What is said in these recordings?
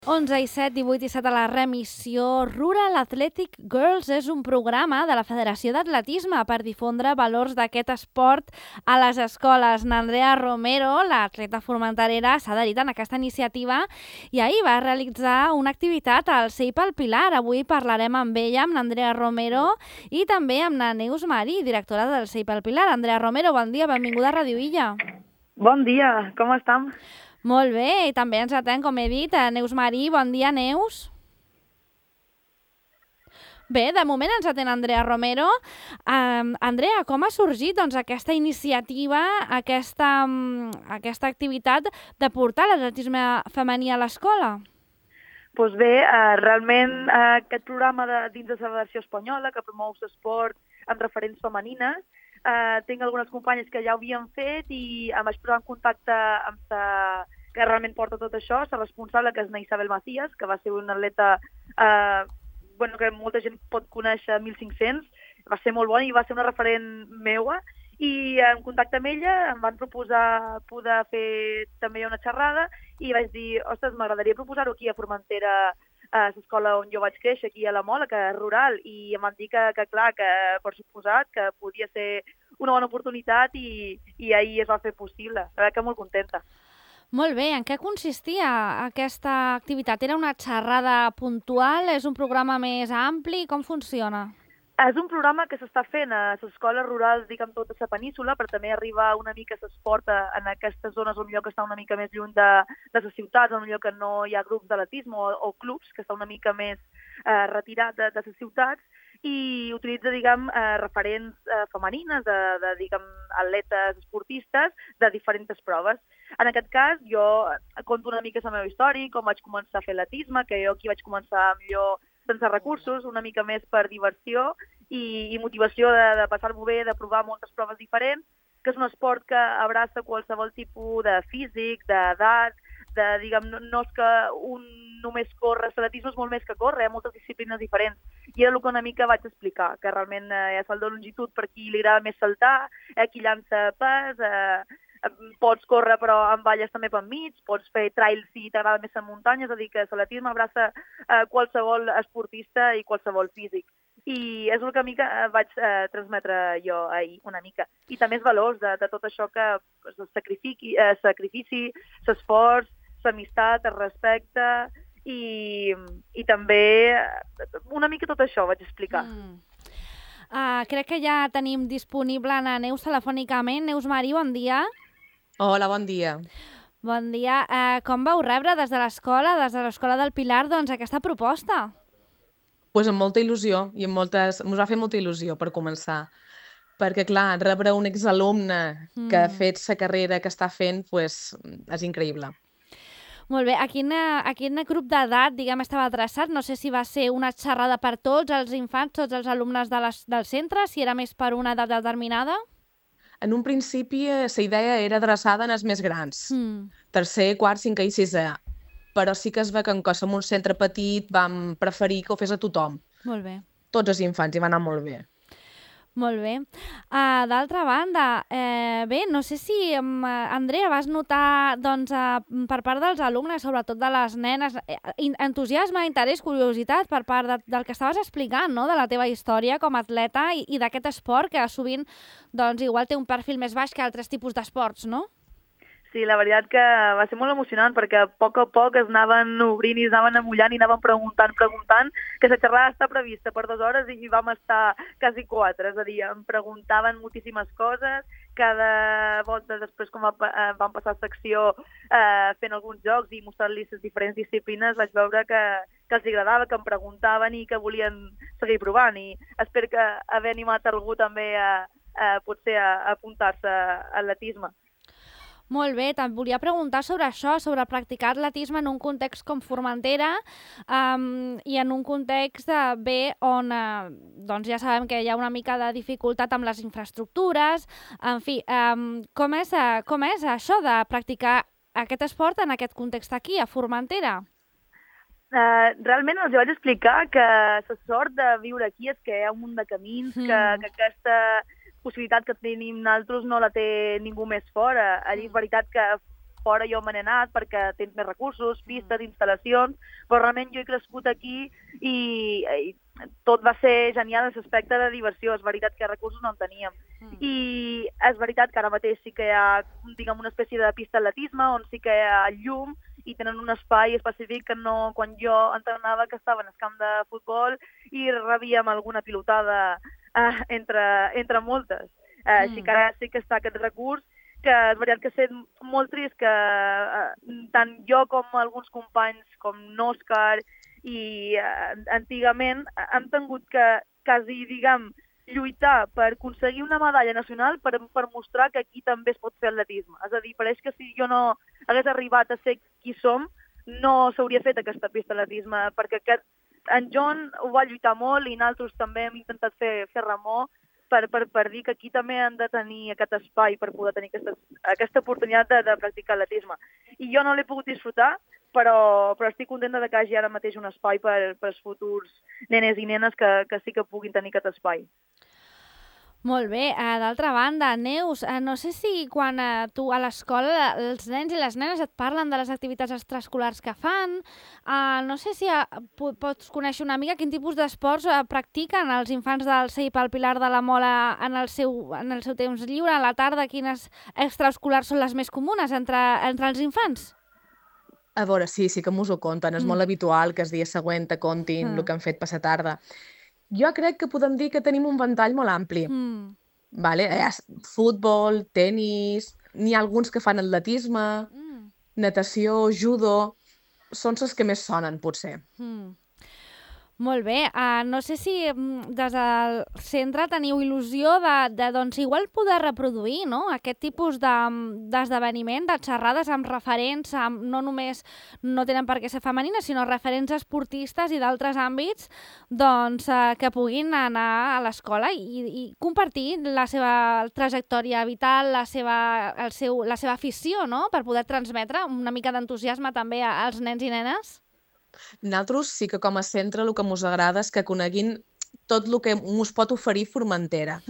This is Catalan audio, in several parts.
11:07, 18:07 a la remissió. Rural Athletic Girls és un programa de la Federació d'Atletisme per difondre valors d'aquest esport a les escoles. N'Andrea Romero, l'atleta formenterera, s'ha adherit en aquesta iniciativa i ahir va realitzar una activitat al CEIP al Pilar. Avui parlarem amb ella, amb l'Andrea Romero, i també amb la Neus Marí, directora del CEIP al Pilar. Andrea Romero, bon dia, benvinguda a Ràdio Illa. Bon dia, com estem? Molt bé, i també ens atén, com he dit, a Neus Marí. Bon dia, Neus. Bé, de moment ens atén Andrea Romero. Andrea, com ha sorgit aquesta iniciativa, aquesta activitat de portar l'atletisme femení a l'escola? Doncs bé, realment aquest programa dins de la Federació Espanyola que promou l'esport amb referents femenines, tinc algunes companyes que ja ho havien fet i em vaig posar en contacte amb la que realment porta tot això, la responsable, que és Isabel Macías, que va ser una atleta que molta gent pot conèixer, 1500, va ser molt bona i va ser una referent meua, i en contacte amb ella em van proposar poder fer també una xerrada i vaig dir, ostres, m'agradaria proposar-ho aquí a Formentera, a l'escola on jo vaig créixer, aquí a la Mola, que és rural, i em van dir que clar, que per suposat, que podia ser una bona oportunitat i ahir es va fer possible. La veritat que molt contenta. Molt bé, en què consistia aquesta activitat? Era una xerrada puntual? És un programa més ampli? Com funciona? És un programa que s'està fent a les escoles rurals, diguem, tota la península, per també arribar una mica a l'esport en aquestes zones on millor que està una mica més lluny de les ciutats, on millor que no hi ha grups d'atletisme o clubs, que està una mica més retirat de les ciutats, i utilitza, diguem, referents femenines, diguem, atletes esportistes de diferents proves. En aquest cas, jo conto una mica la meva història, com vaig començar a fer atletisme, que jo aquí vaig començar millor sense recursos, una mica més per diversió i motivació de passar-m'ho bé, de provar moltes proves diferents, que és un esport que abraça qualsevol tipus de físic, d'edat, diguem, no és que un només corre, l'atletisme és molt més que córrer, hi ha moltes disciplines diferents. I era el que una mica vaig explicar, que realment hi ha salt de longitud per qui li agrada més saltar, qui llança pes, pots córrer però amb valles també per mig, pots fer trails si t'agrada més en muntanya, és a dir, que l'atletisme abraça qualsevol esportista i qualsevol físic. I és el que a mi vaig transmetre jo ahir una mica. I també els valors de tot això que el sacrifici, l'esforç, l'amistat, el respecte i també una mica tot això vaig explicar. Crec que ja tenim disponible a Neus telefònicament. Neus Marí, bon dia. Hola, bon dia. Bon dia. Com vau rebre des de l'Escola del Pilar, aquesta proposta? Pues amb molta il·lusió i ens va fer molta il·lusió per començar. Perquè, clar, rebre un exalumne que ha fet la carrera que està fent, pues, és increïble. Molt bé. A quin grup d'edat, diguem, estava adreçat? No sé si va ser una xerrada per tots els infants, tots els alumnes del centre, si era més per una edat determinada? En un principi, la idea era adreçada als més grans. Tercer, quart, cinquè i sisè. Però sí que es ve que com som un centre petit vam preferir que ho fes a tothom. Molt bé. Tots els infants, i va anar molt bé. Molt bé. D'altra banda, bé, no sé si, Andrea, vas notar per part dels alumnes, sobretot de les nenes, entusiasme, interès, curiositat per part del que estaves explicant, no?, de la teva història com a atleta i d'aquest esport que sovint igual té un perfil més baix que altres tipus d'esports, no? Sí, la veritat que va ser molt emocionant perquè a poc es anaven obrint i es anaven amullant i anaven preguntant, que la xerrada està prevista per 2 hores i vam estar quasi 4, és a dir, em preguntaven moltíssimes coses, cada volta després quan vam passar a secció fent alguns jocs i mostrant-li les diferents disciplines vaig veure que els agradava, que em preguntaven i que volien seguir provant i espero que haver animat algú també potser a apuntar-se a atletisme. Molt bé, te'n volia preguntar sobre això, sobre practicar atletisme en un context com Formentera i en un context on ja sabem que hi ha una mica de dificultat amb les infraestructures. En fi, com és això de practicar aquest esport en aquest context aquí, a Formentera? Realment els vaig explicar que la sort de viure aquí és que hi ha un munt de camins, que aquesta possibilitat que tenim nosaltres no la té ningú més fora. Allí és veritat que fora jo me n'he anat perquè tens més recursos, pistes, instal·lacions, però realment jo he crescut aquí i tot va ser genial en l'aspecte de diversió. És veritat que recursos no en teníem. I és veritat que ara mateix sí que hi ha, diguem, una espècie de pista d'atletisme on sí que hi ha llum i tenen un espai específic que no, quan jo entrenava, que estava en el camp de futbol i rebíem alguna pilotada entre moltes. Així que ara sí que està aquest recurs, que és veritat que ha estat molt trist que tant jo com alguns companys com n'Òscar i antigament hem tingut que quasi, diguem, lluitar per aconseguir una medalla nacional per mostrar que aquí també es pot fer atletisme. És a dir, pareix que si jo no hagués arribat a ser qui som, no s'hauria fet aquesta pista d'atletisme, perquè en John ho va lluitar molt i nosaltres també hem intentat fer remor per dir que aquí també han de tenir aquest espai per poder tenir aquesta oportunitat de practicar atletisme. I jo no l'he pogut disfrutar, però estic contenta que hi hagi ara mateix un espai per als futurs nenes i nenes que sí que puguin tenir aquest espai. Molt bé. D'altra banda, Neus, no sé si quan tu a l'escola els nens i les nenes et parlen de les activitats extraescolars que fan, no sé si pots conèixer una mica quin tipus d'esports practiquen els infants del CEIP al Pilar de la Mola en el seu temps lliure, a la tarda, quines extraescolars són les més comunes entre els infants? A veure, sí que m'ho conten. És molt habitual que el dia següent te contin el que han fet passar tarda. Jo crec que podem dir que tenim un ventall molt ampli. Vale? Hi ha futbol, tenis, n'hi ha alguns que fan atletisme, natació, judo... Són els que més sonen, potser. Molt bé. No sé si des del centre teniu il·lusió de doncs, igual poder reproduir, no?, aquest tipus d'esdeveniment, de xerrades amb referents, no només no tenen per què ser femenines, sinó referents esportistes i d'altres àmbits doncs, que puguin anar a l'escola i compartir la seva trajectòria vital, la seva afició, no?, per poder transmetre una mica d'entusiasme també als nens i nenes? Nosaltres sí que com a centre el que ens agrada és que coneguin tot el que ens pot oferir Formentera.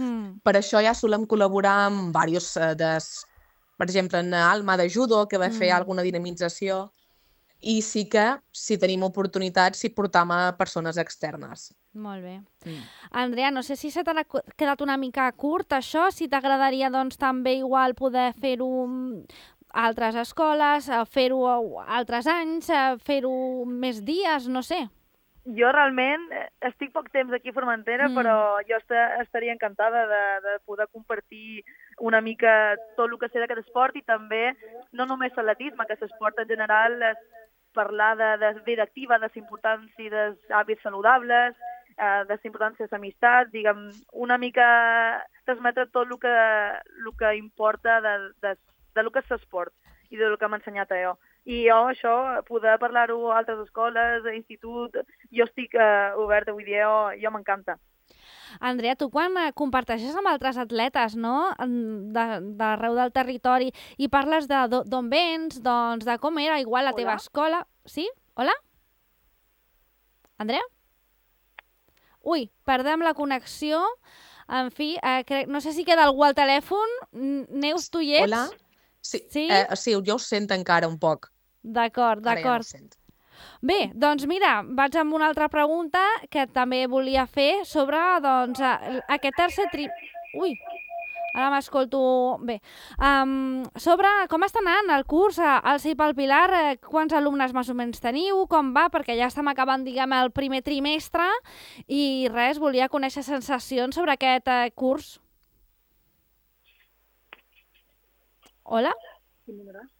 Per això ja solem col·laborar amb diversos, per exemple, en Alma de Judo, que va fer alguna dinamització, i sí que, si tenim oportunitats, hi portam a persones externes. Molt bé. Andrea, no sé si se t'ha quedat una mica curt això, si t'agradaria doncs també igual poder fer-ho a altres escoles, fer-ho altres anys, fer-ho més dies, no sé. Jo realment estic poc temps aquí a Formentera, però jo estaria encantada de poder compartir una mica tot el que sé d'aquest esport i també no només l'atletisme, que l'esport en general és parlar de vida activa, de l'importància dels hàbits saludables, de l'importància de l'amistat, diguem, una mica transmetre tot el que importa de lo que és l'esport i del que m'ha ensenyat a jo. I jo, això, poder parlar-ho a altres escoles, a institut, jo estic oberta, vull dir, jo m'encanta. Andrea, tu quan comparteixes amb altres atletes, no?, d'arreu del territori i parles d'on vens, doncs de com era igual la teva escola... Sí? Hola? Andrea? Ui, perdem la connexió. En fi, no sé si queda algú al telèfon. Neus, tu hi ets? Hola? Sí, jo us sento encara un poc. D'acord. Ara ja no sento. Bé, doncs mira, vaig amb una altra pregunta que també volia fer sobre doncs, aquest tercer Ui, ara m'escolto bé. Sobre com està anant el curs al CEIP al Pilar, quants alumnes més o menys teniu, com va, perquè ja estem acabant, diguem, el primer trimestre i res, volia conèixer sensacions sobre aquest curs. Hola?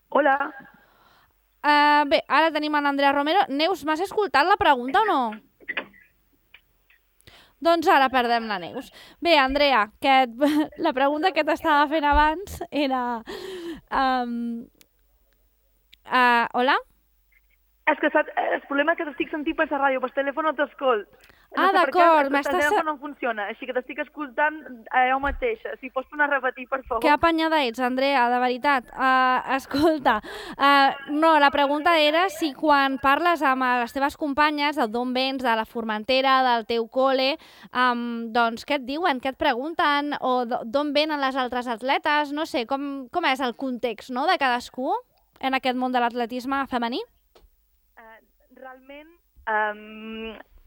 Hola. Bé, ara tenim en Andrea Romero. Neus, m'has escoltat la pregunta o no? Doncs ara perdem la Neus. Bé, Andrea, la pregunta que t'estava fent abans era... Hola? És que saps, el problema és que t'estic sentint per la ràdio, per telèfon no t'escolt. D'acord. El telèfon no funciona, així que t'estic escoltant a jo mateixa. Si pots tornar a repetir, per favor. Que apanyada ets, Andrea, de veritat. Escolta, no, la pregunta era si quan parles amb les teves companyes, d'on vens, de la Formentera, del teu col·le, doncs què et diuen, què et pregunten, o d'on venen les altres atletes, no sé, com és el context, no?, de cadascú? en aquest món de l'atletisme femení? Realment,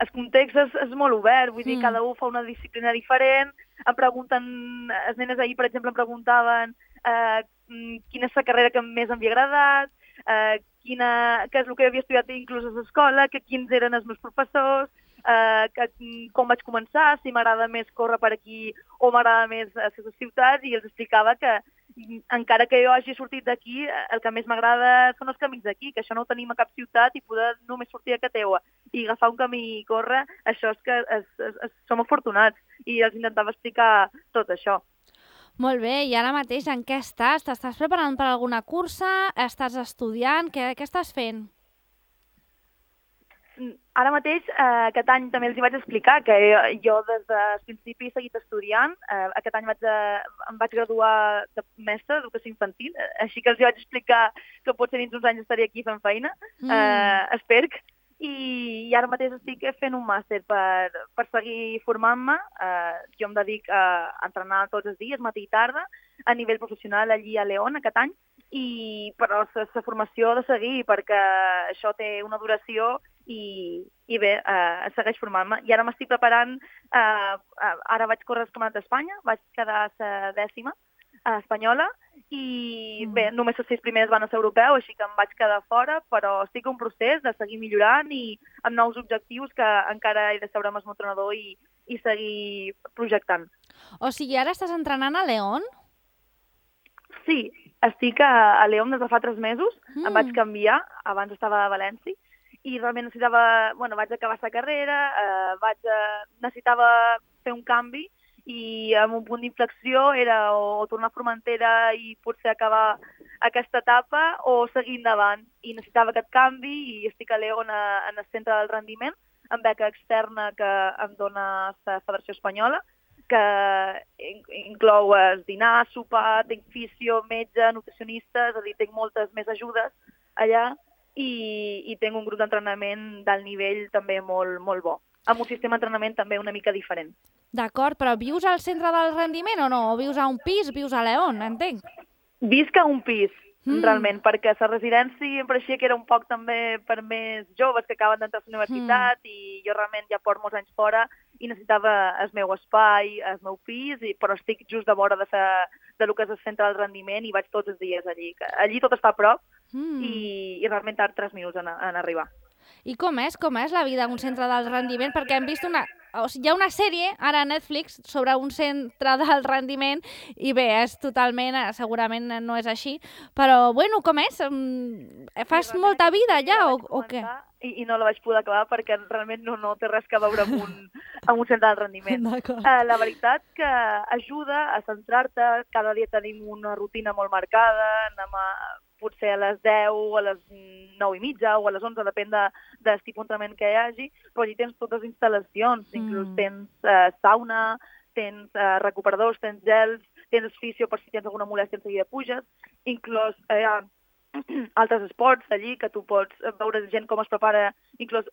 el context és molt obert, vull dir, cada un fa una disciplina diferent, em pregunten, les nenes ahir, per exemple, em preguntaven quina és la carrera que més em havia agradat, què és el que havia estudiat inclús a l'escola, quins eren els meus professors, com vaig començar, si m'agrada més córrer per aquí o m'agrada més a les ciutats, i els explicava que encara que jo hagi sortit d'aquí, el que més m'agrada són els camins d'aquí, que això no ho tenim a cap ciutat i poder només sortir a Cateua i agafar un camí i córrer, això és que som afortunats, i els intentava explicar tot això. Molt bé, i ara mateix en què estàs? T'estàs preparant per alguna cursa? Estàs estudiant? Què estàs fent? Ara mateix, aquest any també els hi vaig explicar que jo des del principi he seguit estudiant. Aquest any em vaig graduar de mestre d'educació infantil, així que els hi vaig explicar que potser dins uns anys estaré aquí fent feina, espero. I ara mateix estic fent un màster per seguir formant-me. Jo em dedico a entrenar tots els dies, matí i tarda, a nivell professional allí a León aquest any, però la formació ha de seguir perquè això té una duració i bé, segueix formant-me. I ara m'estic preparant, ara vaig córrer el Campionat d'Espanya, vaig quedar la 10ª espanyola, i bé, només els 6 primers van a ser europeu, així que em vaig quedar fora, però estic en un procés de seguir millorant i amb nous objectius que encara he de seure amb el meu entrenador i seguir projectant. O sigui, ara estàs entrenant a León? Sí, estic a León des de fa 3 mesos, em vaig canviar, abans estava a València, i realment vaig acabar la carrera, necessitava fer un canvi, i amb un punt d'inflexió era o tornar a Formentera i potser acabar aquesta etapa o seguir endavant. I necessitava aquest canvi i estic a León en el centre del rendiment, amb beca externa que em dona la Federació Espanyola, que inclou dinar, sopar, tinc fisio, metge, nutricionista, és a dir, tinc moltes més ajudes allà, i tinc un grup d'entrenament d'alt nivell també molt, molt bo, amb un sistema d'entrenament també una mica diferent. D'acord, però vius al centre del rendiment o no? O vius a un pis, vius a León, entenc? Visc a un pis, realment, perquè la residència em pareixia que era un poc també per més joves que acaben d'entrar a la universitat, i jo realment ja porto molts anys fora i necessitava el meu espai, el meu pis, però estic just de vora de lo que és el centre del rendiment i vaig tots els dies allí. Allí tot està a prop i realment tard 3 minuts en arribar. I com és la vida en un centre del rendiment? Perquè hem vist hi ha una sèrie ara a Netflix sobre un centre del rendiment i bé, és totalment, segurament no és així, però bueno, com és? Fas molta vida allà o què? I no la vaig poder acabar perquè realment no té res que veure amb un centre del rendiment. La veritat que ajuda a centrar-te, cada dia tenim una rutina molt marcada, anem potser a les 10, a les 9:30 o a les 11, depèn del tipus d'entrenament que hi hagi, però allí tens totes les instal·lacions, inclús tens sauna, tens recuperadors, tens gels, tens fisio per si tens alguna molèstia en seguida puges, inclús altres esports allí que tu pots veure gent com es prepara, inclús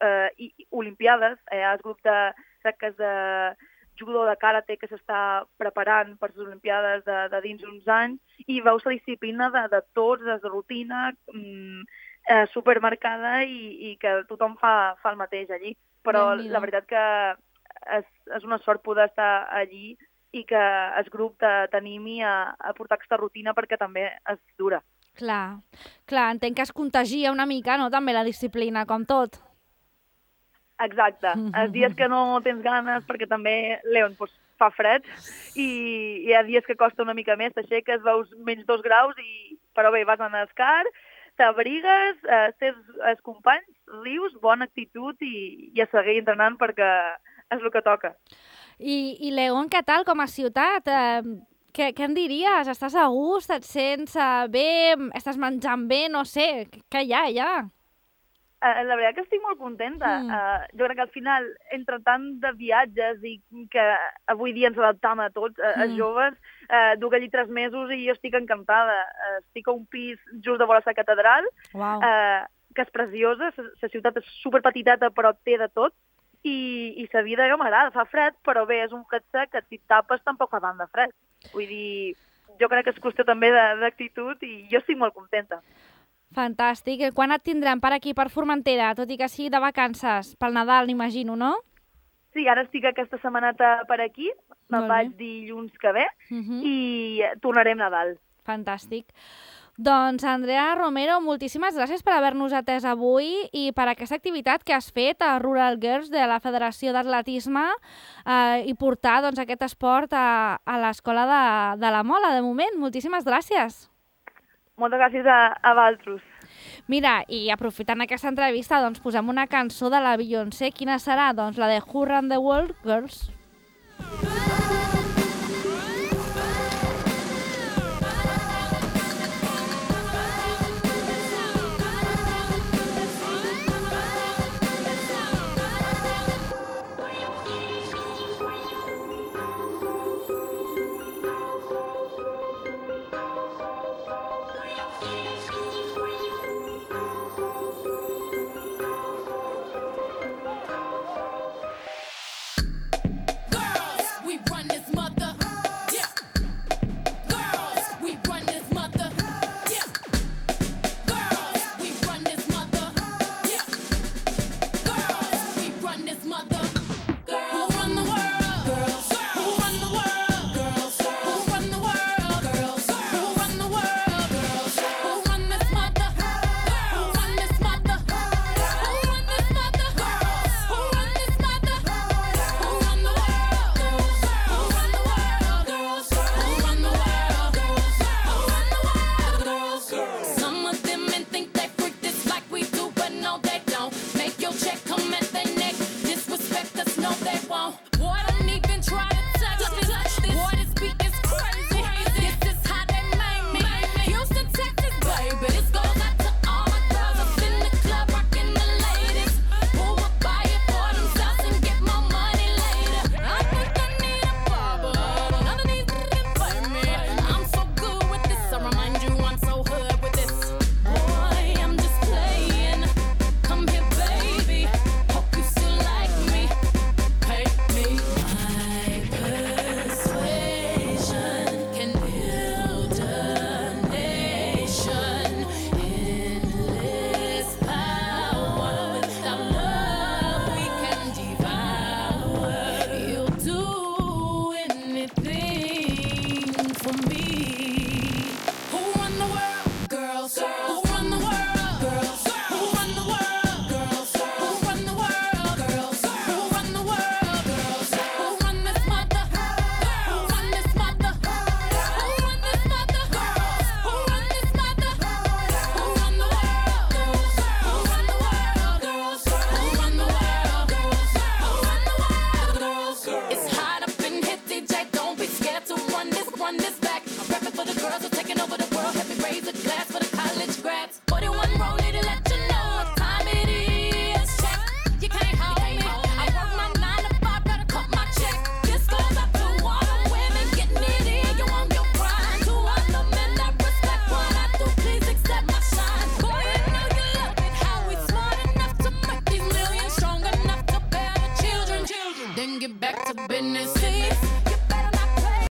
olimpiades, hi ha el grup de judo, de karate que s'està preparant per les olimpiades de dins uns anys, i veus la disciplina de tots, des de rutina, supermarcada, i que tothom fa el mateix allí. Però la veritat que és una sort poder estar allí i que el grup t'animi a portar aquesta rutina perquè també és dura. Clar, entenc que es contagia una mica, no?, també la disciplina, com tot. Exacte. Els dies que no tens ganes, perquè també León fa fred, i hi ha dies que costa una mica més, t'aixeques, veus menys 2 graus, però bé, vas en el car, t'abrigues, tens els companys, rius, bona actitud i a seguir entrenant perquè és el que toca. I León, què tal com a ciutat? Què em diries? Estàs a gust? Et sents bé? Estàs menjant bé? No sé, què hi ha allà? La veritat que estic molt contenta. Jo crec que al final, entre tant de viatges i que avui dia ens adaptam a tots, els joves, duc allí 3 mesos i jo estic encantada. Estic a un pis just de vora la catedral, que és preciosa, la ciutat és superpetiteta però té de tot, i la vida jo m'agrada, fa fred, però bé, és un fred sec que si et tapes tampoc fa tant de fred. Vull dir, jo crec que és qüestió també d'actitud i jo estic molt contenta. Fantàstic. Quan et tindrem per aquí, per Formentera, tot i que sigui de vacances? Pel Nadal, n'imagino, no? Sí, ara estic aquesta setmaneta per aquí, me'n vaig dilluns que ve i tornarem Nadal. Fantàstic. Doncs, Andrea Romero, moltíssimes gràcies per haver-nos atès avui i per aquesta activitat que has fet a Rural Girls de la Federació d'Atletisme i portar aquest esport a l'Escola de la Mola, de moment. Moltíssimes gràcies. Moltes gràcies a vosaltres. Mira, i aprofitant aquesta entrevista, doncs posem una cançó de la Beyoncé. Quina serà? Doncs la de Who Run the World, Girls.